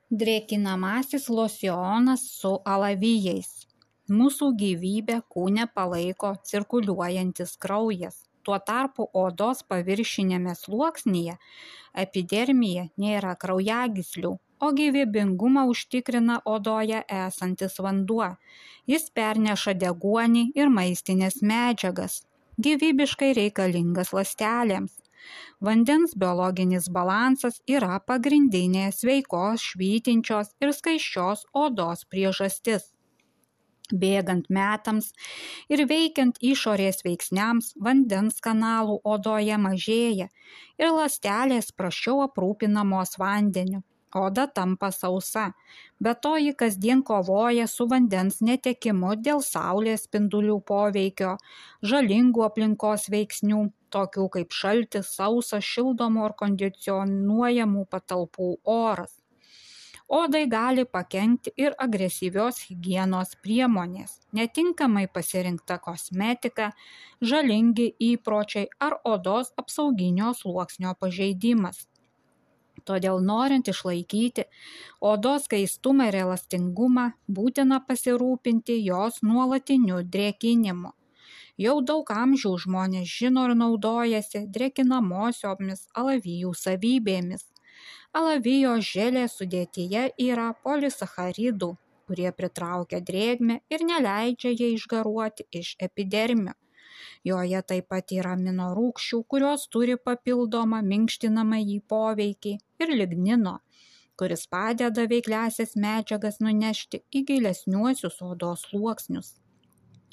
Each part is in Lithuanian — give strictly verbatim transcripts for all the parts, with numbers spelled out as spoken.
Drėkinamasis losjonas su alavijais. Mūsų gyvybę kūne palaiko cirkuliuojantis kraujas. Tuo tarpu odos paviršinėme sluoksnyje epidermija nėra kraujagyslių, o gyvybingumą užtikrina odoje esantis vanduo. Jis perneša deguonį ir maistinės medžiagas, gyvybiškai reikalingas ląstelėms. Vandens biologinis balansas yra pagrindinė sveikos, švytinčios ir skaisčios odos priežastis. Bėgant metams ir veikiant išorės veiksniams, vandens kanalų odoje mažėja ir ląstelės prasčiau aprūpinamos vandeniu. Oda tampa sausa, bet to ji kasdien kovoja su vandens netekimu dėl saulės spindulių poveikio, žalingų aplinkos veiksnių, tokių kaip šaltis, sausas, šildomų ar kondicionuojamų patalpų oras. Odai gali pakenkti ir agresyvios higienos priemonės, netinkamai pasirinkta kosmetika, žalingi įpročiai ar odos apsauginio sluoksnio pažeidimas. Todėl norint išlaikyti odos skaistumą ir elastingumą, būtina pasirūpinti jos nuolatiniu drėkinimu. Jau daug amžių žmonės žino ir naudojasi drėkinamosiomis alavijų savybėmis. Alavijo želė sudėtyje yra polisacharidų, kurie pritraukia drėgmę ir neleidžia jai išgaruoti iš epidermio. Joje taip pat yra aminorūgščių, kurios turi papildomą minkštinamąjį poveikį, ir lignino, kuris padeda veikliąsias medžiagas nunešti į gilesniuosius odos sluoksnius.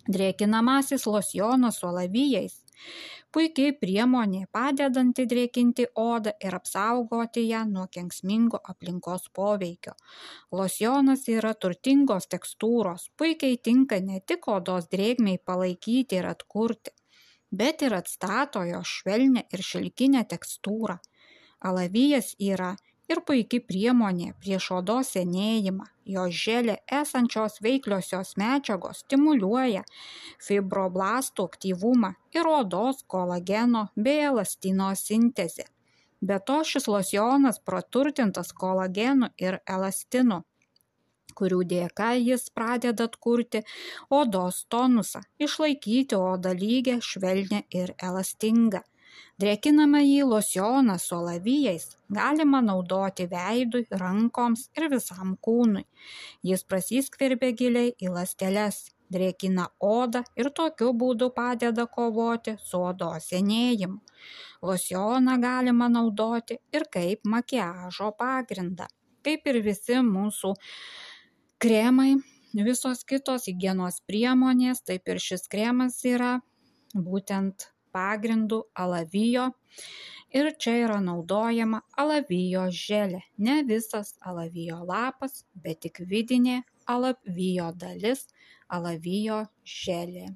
Drėkinamasis losjonas su alavijais – puikiai priemonė padedanti drėkinti odą ir apsaugoti ją nuo kenksmingo aplinkos poveikio. Losjonas yra turtingos tekstūros, puikiai tinka ne tik odos drėgmei palaikyti ir atkurti, bet ir atstato jo švelnią ir šilkinę tekstūrą. Alavijas yra ir puikiai priemonė prieš odos senėjimą. Jo želė esančios veikliosios medžiagos stimuliuoja fibroblastų aktyvumą ir odos kolageno bei elastino sintezę. Be to šis losjonas praturtintas kolagenu ir elastinu, kurių dėka jis pradeda atkurti odos tonusą, išlaikyti odą lygią, švelnią ir elastingą. Drėkinamąjį losjoną su alavijais galima naudoti veidui, rankoms ir visam kūnui. Jis prasiskverbia giliai į ląsteles, drėkina odą ir tokiu būdu padeda kovoti su odos senėjimu. Losjoną galima naudoti ir kaip makiažo pagrindą. Kaip ir visi mūsų kremai, visos kitos higienos priemonės, taip ir šis kremas yra būtent pagrindų alavijo ir čia yra naudojama alavijo želė, ne visas alavijo lapas, bet tik vidinė alavijo dalis, alavijo želė.